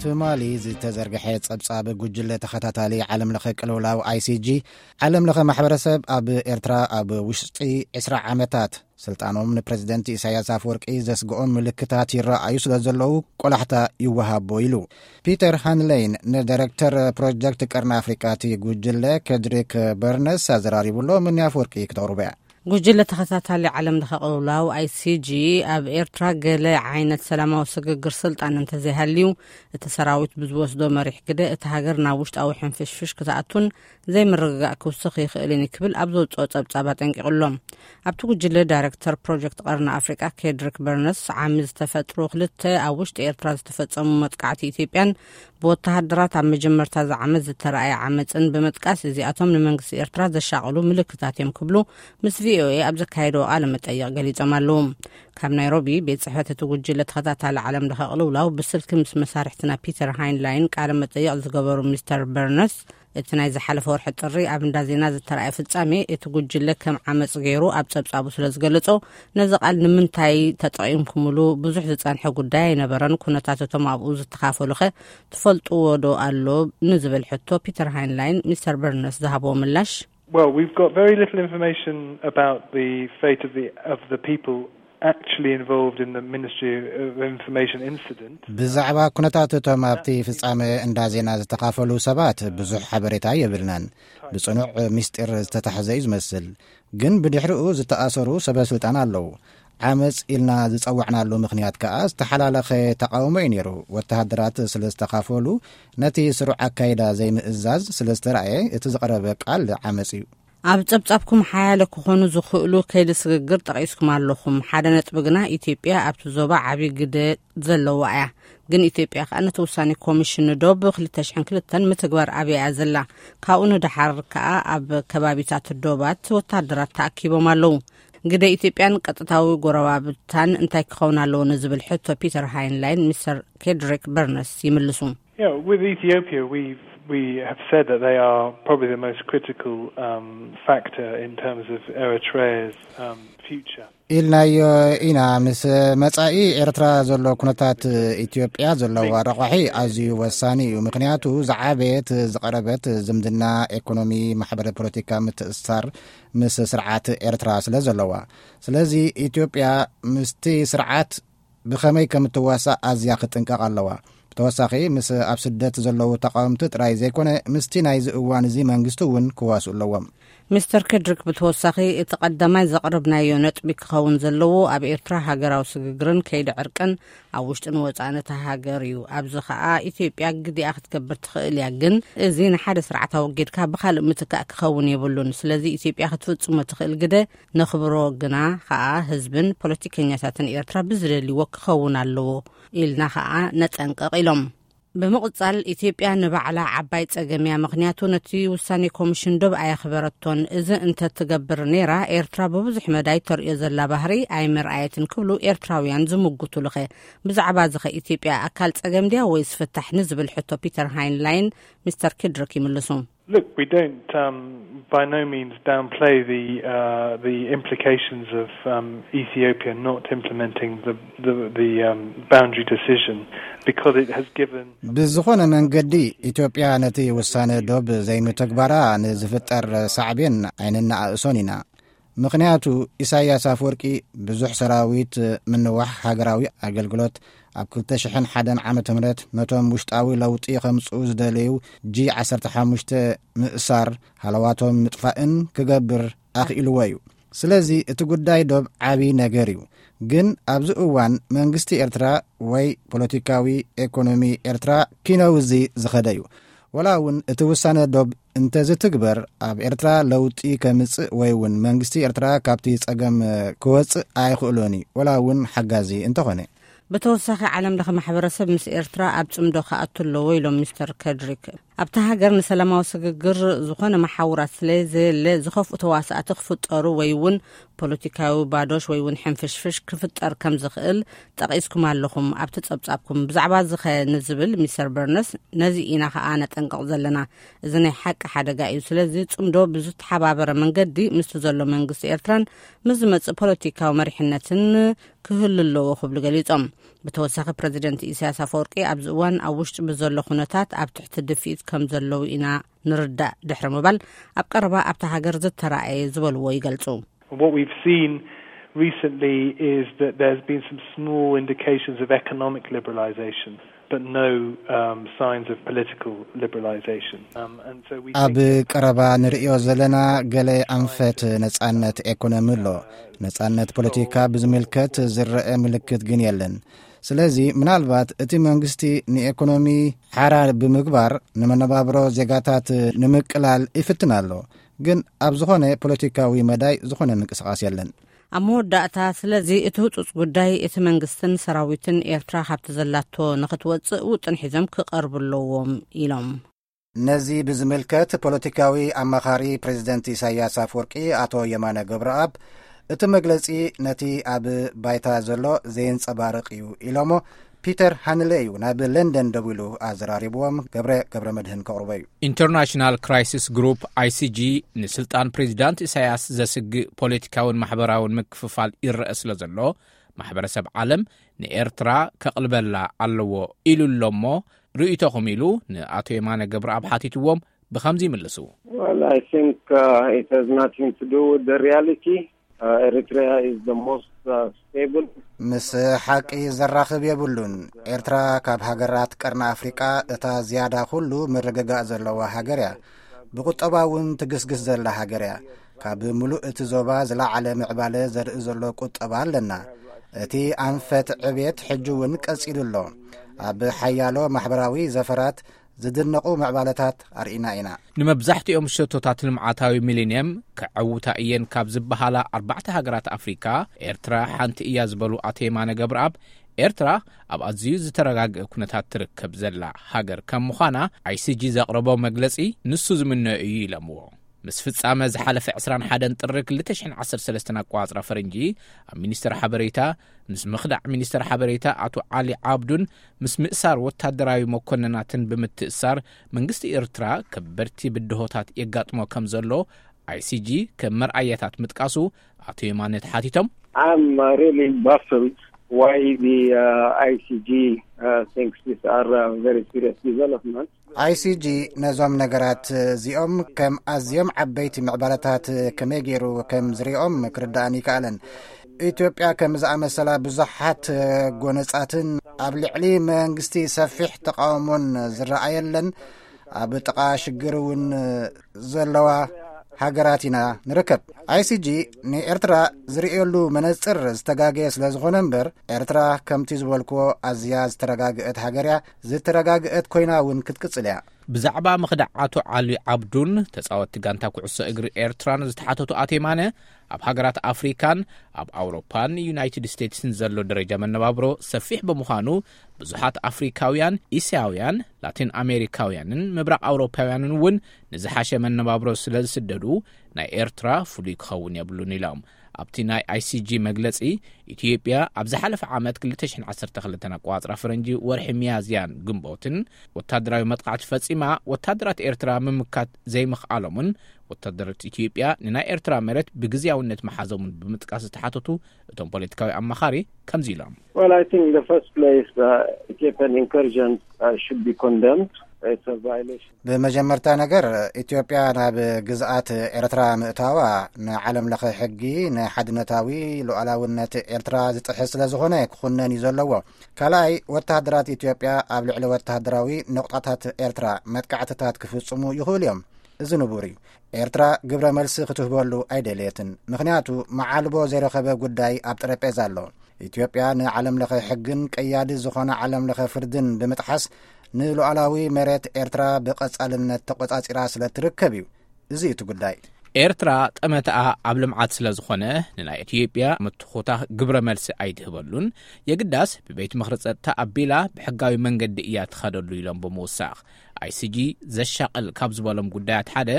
ትማሊ ዝተዘርግሐ ጸብጻብ ጉጅለ ተኸታታሊ ዓለም ለኸ ቅልውላው፣ ኣይሲጂ፣ ዓለም ለኸ ማሕበረሰብ ኣብ ኤርትራ ኣብ ውሽጢ ዕስራ ዓመታት ስልጣኖም ንፕረዚደንት ኢሳያስ ኣፈወርቂ ዘስግኦም ምልክታት ይረኣዩ ስለ ዘለዉ፣ ቆላሕታ ይወሃቦ ኢሉ። ፒተር ሃንለይን፣ ንዳይረክተር ፕሮጀክት ቀርኒ ኣፍሪቃ እቲ ጉጅለ፣ ከድሪክ በርነስ፣ ኣዘራሪቡሎ። ምኒ ኣፈወርቂ ክተቕርቦ እያ። ጉጅለ ተኸታታሊ ዓለም ለኸ ቅልውላው፣ ኣይሲጂ፣ ኣብ ኤርትራ ገለ ዓይነት ሰላማዊ ስግግር ስልጣን እንተዘይሃልዩ፣ እቲ ሰራዊት ብዝወስዶ መሪሕ ግደ እታ ሃገር ናብ ውሽጣዊ ሕንፍሽፍሽ ክትኣቱን ዘይምርግጋእ ክውስኽ ይኽእልን እዩ ክብል ኣብ ዘውፅኦ ጸብጻብ ኣጠንቂቑ ኣሎ። ኣብቲ ጉጅለ ዳይረክተር ፕሮጀክት ቀርኒ ኣፍሪቃ፣ ኬድሪክ በርነስ፣ ዓሚ ዝተፈጥሩ ክልተ ኣብ ውሽጢ ኤርትራ ዝተፈጸሙ መጥቃዕቲ ኢትዮጵያን ብወተሃደራት ኣብ መጀመርታ እዚ ዓመት ዝተረኣየ ዓመፅን ብምጥቃስ፣ እዚኣቶም ንመንግስቲ ኤርትራ ዘሻቕሉ ምልክታት እዮም ክብሉ ምስ ቪኦኤ ኣብ ዘካየድዎ ቃለ መጠይቕ ገሊጾም ኣለዉ። ካብ ናይሮቢ፣ ቤት ጽሕፈት እቲ ጉጅለ ተኸታታሊ ዓለም ለኸ ቅልውላው ብስልኪ ምስ መሳርሕትና ፒተር ሃይንላይን ቃለ መጠይቕ ዝገበሩ ሚስተር በርነስ፣ እቲ ናይ ዝሓለፈ ወርሒ ጥሪ ኣብ እንዳ ዜና ዝተረኣየ ፍጻሜ እቲ ጉጅለ ከም ዓመጽ ገይሩ ኣብ ጸብጻቡ ስለ ዝገለጾ፣ ነዚ ቃል ንምንታይ ተጠቒምኩምሉ? ብዙሕ ዝጸንሐ ጉዳይ ኣይነበረን። ኩነታት እቶም ኣብኡ ዝተኻፈሉኸ ትፈልጥዎ ዶ ኣሎ? ንዝብል ሕቶ ፒተር ሃይንላይን ሚስተር በርነስ ዝሃብዎ ምላሽ፣ Well, we've got very little information about the fate of the, of the people actually involved in the Ministry of Information incident. ብዛዕባ ኩነታት እቶም ኣብቲ ፍጻመ እንዳ ዜና ዝተኻፈሉ ሰባት ብዙሕ ሓበሬታ የብልናን። ብጽኑዕ ምስጢር ዝተታሕዘ እዩ ዝመስል። ግን ብድሕሪኡ ዝተኣሰሩ ሰበ ስልጣን ኣለዉ። ዓመጽ ኢልና ዝጸዋዕናሉ ምኽንያት ከኣ ዝተሓላለኸ ተቓውሞ እዩ ነይሩ። ወተሃደራት ስለ ዝተኻፈሉ፣ ነቲ ስሩዕ ኣካይዳ ዘይምእዛዝ ስለ ዝተራእየ፣ እቲ ዝቐረበ ቃል ዓመጽ እዩ። ኣብ ጸብጻብኩም ሓያለ ክኾኑ ዝኽእሉ ከይዲ ስግግር ጠቒስኩም ኣለኹም። ሓደ ነጥቢ ግና፣ ኢትዮጵያ ኣብቲ ዞባ ዓቢ ግደ ዘለዋ እያ። ግን ኢትዮጵያ ከኣ ነቲ ውሳኔ ኮሚሽን ዶብ ክልተ ሽሕን ክልተን ምትግባር ኣብያ እያ ዘላ። ካብኡ ንደሓር ከኣ ኣብ ከባቢታት ዶባት ወተሃደራት ተኣኪቦም ኣለዉ። ግደ ኢትዮጵያን ቀጥታዊ ጎረባብታን እንታይ ክኸውን ኣለዎ ንዝብል ሕቶ ፒተር ሃይንላይን ሚስተር ኬድሪክ በርነስ ይምልሱ። Yeah, with Ethiopia, we, we have said that they are probably the most critical, um, factor in terms of Eritrea's, um, future. ኢልናዮ ኢና። ምስ መጻኢ ኤርትራ ዘሎ ኩነታት፣ ኢትዮጵያ ዘለዋ ረቋሒ ኣዝዩ ወሳኒ እዩ። ምኽንያቱ ዝዓበየት ዝቐረበት ዝምድና፣ ኤኮኖሚ፣ ማሕበረ ፖለቲካ ምትእስሳር ምስ ስርዓት ኤርትራ ስለ ዘለዋ። ስለዚ ኢትዮጵያ ምስቲ ስርዓት ብኸመይ ከም እትዋሳእ ኣዝያ ክትጥንቀቕ ኣለዋ። ብተወሳኺ፣ ምስ ኣብ ስደት ዘለዉ ተቓወምቲ ጥራይ ዘይኮነ፣ ምስቲ ናይዚ እዋን እዚ መንግስቲ እውን ክዋስኡ ኣለዎም። ሚስተር ኬድሪክ ብተወሳኺ፣ እቲ ቀዳማይ ዘቕረብናዮ ነጥቢ ክኸውን ዘለዎ፣ ኣብ ኤርትራ ሃገራዊ ስግግርን ከይዲ ዕርቅን ኣብ ውሽጥን ወጻእን እታ ሃገር እዩ። ኣብዚ ኸኣ ኢትዮጵያ ግዲኣ ክትገብር ትኽእል እያ፣ ግን እዚ ንሓደ ስርዓት ኣወጊድካ ብኻልእ ምትካእ ክኸውን የብሉን። ስለዚ ኢትዮጵያ ክትፍጽሞ ትኽእል ግደ ነኽብሮ፣ ግና ኸኣ ህዝብን ፖለቲከኛታትን ኤርትራ ብዝደልይዎ ክኸውን ኣለዎ ኢልና ኸኣ ነጠንቅቕ ኢሎም። ብምቕጻል፣ ኢትዮጵያ ንባዕላ ዓባይ ጸገም እያ፣ ምኽንያቱ ነቲ ውሳኔ ኮሚሽን ዶብ ኣየኽበረቶን። እዚ እንተትገብር ነይራ፣ ኤርትራ ብብዙሕ መዳይ ተርእዮ ዘላ ባህሪ ኣይመርኣየትን ክብሉ ኤርትራውያን ዝምጉቱሉኸ። ብዛዕባ እዚ ኸ ኢትዮጵያ ኣካል ጸገም ድያ ወይስ ፍታሕ ንዝብል ሕቶ ፒተር ሃይንላይን ሚስተር ኪድሪክ ይምልሱ። Look, we don't, um, by no means downplay the, uh, the implications of, um, Ethiopia not implementing the, the, the, um, boundary decision, because it has given ብዝኾነ መንገዲ፣ ኢትዮጵያ ነቲ ውሳነ ዶብ ዘይምትግባራ ንዝፍጠር ሳዕቤን ኣይነነኣእሶን ኢና። ምኽንያቱ፣ ኢሳያስ ኣፈወርቂ ብዙሕ ሰራዊት፣ ምንዋሕ ሃገራዊ ኣገልግሎት፣ ኣብ ክልተ ሽሕን ሓደን ዓመተ ምህረት ነቶም ውሽጣዊ ለውጢ ከምጽኡ ዝደለዩ ጂ ዓሰርተ ሓሙሽተ ምእሳር፣ ሃለዋቶም ምጥፋእን ክገብር ኣኽኢልዎ እዩ። ስለዚ እቲ ጉዳይ ዶብ ዓቢ ነገር እዩ። ግን ኣብዚ እዋን መንግስቲ ኤርትራ ወይ ፖለቲካዊ ኤኮኖሚ ኤርትራ ኪነውዚ ዝኸደ እዩ። ወላ እውን እቲ ውሳነ ዶብ እንተዝትግበር፣ ኣብ ኤርትራ ለውጢ ከምጽእ ወይ እውን መንግስቲ ኤርትራ ካብቲ ጸገም ክወጽእ ኣይኽእሎን እዩ፣ ወላ እውን ሓጋዚ እንተኾነ። ብተወሳኺ፣ ዓለም ለኸ ማሕበረሰብ ምስ ኤርትራ ኣብ ጽምዶ ክኣቱ ኣለዎ ኢሎም ሚስተር ከድሪክ። ኣብታ ሃገር ንሰላማዊ ስግግር ዝኾነ መሓውራት ስለ ዘየለ፣ ዝኸፍኡ ተዋሳእቲ ክፍጠሩ ወይ እውን ፖለቲካዊ ባዶሽ ወይ እውን ሕንፍሽፍሽ ክፍጠር ከም ዝኽእል ጠቒስኩም ኣለኹም ኣብቲ ጸብጻብኩም። ብዛዕባ እዚ ኸ ንዝብል ሚስተር በርነስ፣ ነዚ ኢና ኸኣ ነጠንቅቕ ዘለና። እዚ ናይ ሓቂ ሓደጋ እዩ። ስለዚ ጽምዶ ብዝተሓባበረ መንገዲ ምስቲ ዘሎ መንግስቲ ኤርትራን ምስ ዝመጽእ ፖለቲካዊ መሪሕነትን ክህሉ ኣለዎ ክብሉ ገሊጾም። ብተወሳኺ ፕረዚደንት ኢሳያስ ኣፈወርቂ ኣብዚ እዋን ኣብ ውሽጢ ብዘሎ ኩነታት ኣብ ትሕቲ ድፍኢት ከም ዘለዉ ኢና ንርዳእ ድሕሪ ምባል፣ ኣብ ቀረባ ኣብታ ሃገር ዝተራእየ ዝበልዎ ይገልጹ። What we've seen recently is that there's been some small indications of economic liberalisation, but no um, signs of political liberalisation. Um, and so we ኣብ think ቀረባ ንርእዮ ዘለና ገለ ኣንፈት ነጻነት ኤኮኖሚ ኣሎ። ነጻነት ፖለቲካ ብዝምልከት ዝረአ ምልክት ግን የለን። ስለዚ ምናልባት እቲ መንግስቲ ንኤኮኖሚ ሓራ ብምግባር ንመነባብሮ ዜጋታት ንምቅላል ይፍትን ኣሎ። ግን ኣብ ዝኾነ ፖለቲካዊ መዳይ ዝኾነ ምንቅስቃስ የለን። ኣብ መወዳእታ፣ ስለዚ እቲ ህጹጽ ጉዳይ እቲ መንግስትን ሰራዊትን ኤርትራ ካብቲ ዘላቶ ንኽትወጽእ ውጥን ሒዞም ክቐርቡ ኣለዎም ኢሎም። ነዚ ብዝምልከት ፖለቲካዊ ኣማኻሪ ፕሬዚደንት ኢሳያስ ኣፈወርቂ ኣቶ የማነ ገብረኣብ፣ እቲ መግለጺ ነቲ ኣብ ባይታ ዘሎ ዘየንጸባርቕ እዩ ኢሎሞ። ፒተር ሃንለ እዩ ናብ ለንደን ደዊሉ ኣዘራሪብዎም። ገብረ ገብረ መድህን ከቕርቦ እዩ። ኢንተርናሽናል ክራይሲስ ግሩፕ፣ ኣይሲጂ፣ ንስልጣን ፕሬዚዳንት ኢሳያስ ዘስግእ ፖለቲካውን ማሕበራውን ምክፍፋል ይረአ ስለ ዘሎ፣ ማሕበረሰብ ዓለም ንኤርትራ ከቕልበላ ኣለዎ ኢሉ ኣሎ እሞ፣ ርእይቶኹም ኢሉ ንኣቶ የማነ ገብረኣብ ሓቲትዎም። ብኸምዚ ይምልሱ። Well, I think uh, it has nothing to do with the reality. Uh, Eritrea is the most uh, stable. ምስ ሓቂ ዘራኽብ የብሉን። ኤርትራ ካብ ሃገራት ቀርኒ ኣፍሪቃ እታ ዝያዳ ኩሉ ምርግጋእ ዘለዋ ሃገር እያ። ብቁጠባ እውን ትግስግስ ዘላ ሃገር እያ። ካብ ምሉእ እቲ ዞባ ዝለዓለ ምዕባለ ዘርኢ ዘሎ ቁጠባ ኣለና። እቲ ኣንፈት ዕቤት ሕጂ እውን ቀጺሉ ኣሎ። ኣብ ሓያሎ ማሕበራዊ ዘፈራት ዝድነቑ ምዕባለታት ኣርኢና ኢና። ንመብዛሕትኦም ሸቶታት ልምዓታዊ ሚሊንየም ከዐውታ እየን ካብ ዝበሃላ ኣርባዕተ ሃገራት ኣፍሪካ፣ ኤርትራ ሓንቲ እያ ዝበሉ ኣቶ የማነ ገብረኣብ፣ ኤርትራ ኣብ ኣዝዩ ዝተረጋግአ ኩነታት ትርከብ ዘላ ሃገር ከም ምዃና፣ ኣይሲጂ ዘቕረቦ መግለጺ ንሱ ዝምነዮ እዩ ኢሎምዎ። ምስ ፍጻመ ዝሓለፈ ዕስራን ሓደን ጥሪ ክልተ ሽሕን ዓሰርተ ሰለስተን ኣቋጽራ ፈረንጂ፣ ኣብ ሚኒስተር ሓበሬታ፣ ምስ ምኽዳዕ ሚኒስተር ሓበሬታ ኣቶ ዓሊ ዓብዱን ምስ ምእሳር ወታደራዊ መኮንናትን ብምትእሳር፣ መንግስቲ ኤርትራ ከበድቲ ብድሆታት የጋጥሞ ከም ዘሎ ኣይሲጂ ከም መርኣያታት ምጥቃሱ ኣቶ የማነ ተሓቲቶም። I'm uh, really baffled why the uh, I C G uh, thinks these are uh, very serious developments. ኣይሲጂ ነዞም ነገራት እዚኦም ከም ኣዝዮም ዓበይቲ ምዕባለታት ከመይ ገይሩ ከም ዝሪኦም ክርዳእን ይከኣልን። ኢትዮጵያ ከም ዝኣመሰላ ብዙሓት ጎነጻትን ኣብ ልዕሊ መንግስቲ ሰፊሕ ተቃውሞን ዝረኣየለን፣ ኣብ ጥቓ ሽግር እውን ዘለዋ ሃገራት ኢና ንርከብ። ኣይሲጂ ንኤርትራ ዝርእየሉ መነጽር ዝተጋገየ ስለ ዝኾነ እምበር፣ ኤርትራ ከምቲ ዝበልክዎ ኣዝያ ዝተረጋግአት ሃገር እያ። ዝተረጋግአት ኮይና እውን ክትቅጽል እያ። ብዛዕባ ምኽዳዕ ኣቶ ዓሊ ዓብዱን ተጻወትቲ ጋንታ ኩዕሶ እግሪ ኤርትራን ዝተሓተቱ ኣቶ የማነ፣ ኣብ ሃገራት ኣፍሪካን ኣብ ኣውሮፓን ዩናይትድ ስቴትስን ዘሎ ደረጃ መነባብሮ ሰፊሕ ብምዃኑ፣ ብዙሓት ኣፍሪካውያን፣ እስያውያን፣ ላቲን ኣሜሪካውያንን ምብራቕ ኣውሮፓውያንን እውን ንዝሓሸ መነባብሮ ስለ ዝስደዱ፣ ናይ ኤርትራ ፍሉይ ክኸውን የብሉን ኢሎም። ኣብቲ ናይ ኣይሲጂ መግለጺ፣ ኢትዮጵያ ኣብ ዝሓለፈ ዓመት ክልተ ሽሕን ዓሰርተ ክልተን ኣቋጽራ ፈረንጂ ወርሒ ሚያዝያን ግንቦትን ወታደራዊ መጥቃዕቲ ፈጺማ፣ ወታደራት ኤርትራ ምምካት ዘይምኽኣሎምን ወታደራት ኢትዮጵያ ንናይ ኤርትራ መሬት ብግዝያውነት መሓዞምን ብምጥቃስ ዝተሓተቱ እቶም ፖለቲካዊ ኣማኻሪ ከምዚ ኢሎም። Well, I think in the first place, uh, Ethiopian incursions uh, should be condemned. It's a violation. ብመጀመርታ ነገር፣ ኢትዮጵያ ናብ ግዝኣት ኤርትራ ምእታዋ ንዓለም ለኸ ሕጊ፣ ንሓድነታዊ ሉዓላውነት ኤርትራ ዝጥሕስ ስለ ዝኾነ ክኹነን እዩ ዘለዎ። ካልኣይ፣ ወተሃደራት ኢትዮጵያ ኣብ ልዕሊ ወተሃደራዊ ነቑጣታት ኤርትራ መጥቃዕትታት ክፍጽሙ ይኽእሉ እዮም። እዚ ንቡር እዩ። ኤርትራ ግብረ መልሲ ክትህበሉ ኣይደለየትን። ምኽንያቱ፣ መዓልቦ ዘይረኸበ ጉዳይ ኣብ ጠረጴዛ ኣሎ። ኢትዮጵያ ንዓለም ለኸ ሕግን ቀያዲ ዝኾነ ዓለም ለኸ ፍርድን ብምጥሓስ ንሉዓላዊ መሬት ኤርትራ ብቐጻልነት ተቖጻጺራ ስለ ትርከብ እዩ። እዚ እዩ እቲ ጉዳይ። ኤርትራ ጠመተኣ ኣብ ልምዓት ስለ ዝኾነ፣ ንናይ ኢትዮጵያ ምትኹታ ግብረ መልሲ ኣይትህበሉን። የግዳስ ብቤት ምኽሪ ጸጥታ ኣቢላ ብሕጋዊ መንገዲ እያ ትኸደሉ ኢሎም ብምውሳኽ፣ ኣይሲጂ ዘሻቕል ካብ ዝበሎም ጉዳያት ሓደ፣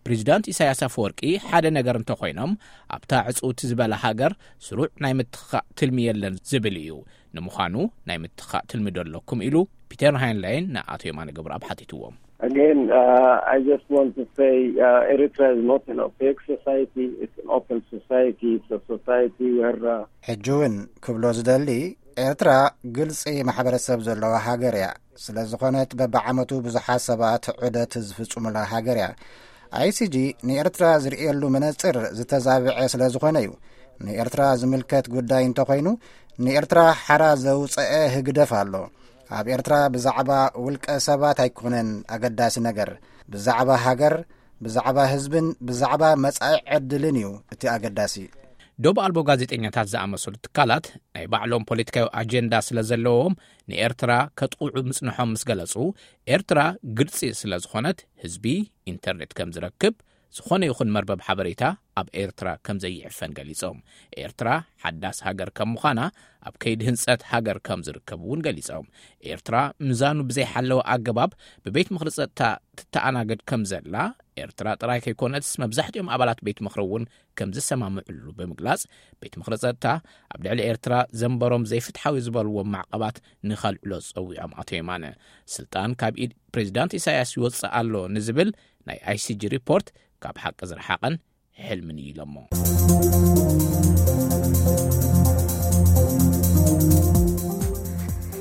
ፕሬዚዳንት ኢሳያስ ኣፈወርቂ ሓደ ነገር እንተኾይኖም፣ ኣብታ ዕጽውቲ ዝበላ ሃገር ስሩዕ ናይ ምትኻእ ትልሚ የለን ዝብል እዩ። ንምዃኑ ናይ ምትኻእ ትልሚ ዶ ኣለኩም ኢሉ ፒተር ሃይንላይን ንኣቶ የማነ ገብረኣብ ሓቲትዎም። Again, uh, I just want to say, uh, Eritrea is not an opaque society. It's an open society. It's a society where, uh, ሕጂ እውን ክብሎ ዝደሊ፣ ኤርትራ ግልጺ ማሕበረሰብ ዘለዋ ሃገር እያ። ስለ ዝኾነት በብዓመቱ ብዙሓት ሰባት ዑደት ዝፍጽሙላ ሃገር እያ። ኣይሲጂ ንኤርትራ ዝርእየሉ መነጽር ዝተዛብዐ ስለ ዝኾነ እዩ። ንኤርትራ ዝምልከት ጉዳይ እንተኾይኑ፣ ንኤርትራ ሓራ ዘውፀአ ህግደፍ ኣሎ። ኣብ ኤርትራ ብዛዕባ ውልቀ ሰባት ኣይኮነን ኣገዳሲ ነገር። ብዛዕባ ሃገር፣ ብዛዕባ ህዝብን ብዛዕባ መጻኢ ዕድልን እዩ እቲ ኣገዳሲ። ዶብ ኣልቦ ጋዜጠኛታት ዝኣመሰሉ ትካላት ናይ ባዕሎም ፖለቲካዊ ኣጀንዳ ስለ ዘለዎም፣ ንኤርትራ ከጥቕዑ ምጽንሖም ምስ ገለጹ፣ ኤርትራ ግልጺ ስለ ዝኾነት፣ ህዝቢ ኢንተርኔት ከም ዝረክብ፣ ዝኾነ ይኹን መርበብ ሓበሬታ ኣብ ኤርትራ ከም ዘይዕፈን ገሊጾም። ኤርትራ ሓዳስ ሃገር ከም ምዃና፣ ኣብ ከይዲ ህንጸት ሃገር ከም ዝርከብ እውን ገሊጾም። ኤርትራ ምዛኑ ብዘይሓለወ ኣገባብ ብቤት ምኽሪ ጸጥታ ትተኣናገድ ከም ዘላ፣ ኤርትራ ጥራይ ከይኮነትስ መብዛሕትኦም ኣባላት ቤት ምኽሪ እውን ከም ዝሰማምዕሉ ብምግላጽ፣ ቤት ምኽሪ ጸጥታ ኣብ ልዕሊ ኤርትራ ዘንበሮም ዘይፍትሓዊ ዝበልዎም ማዕቐባት ንኸልዕሎ ጸዊዖም። ኣቶ የማነ፣ ስልጣን ካብ ኢድ ፕሬዚዳንት ኢሳያስ ይወጽእ ኣሎ ንዝብል ናይ ኣይሲጂ ሪፖርት ካብ ሓቂ ዝረሓቐን ሕልምን እዩ ኢሎሞ።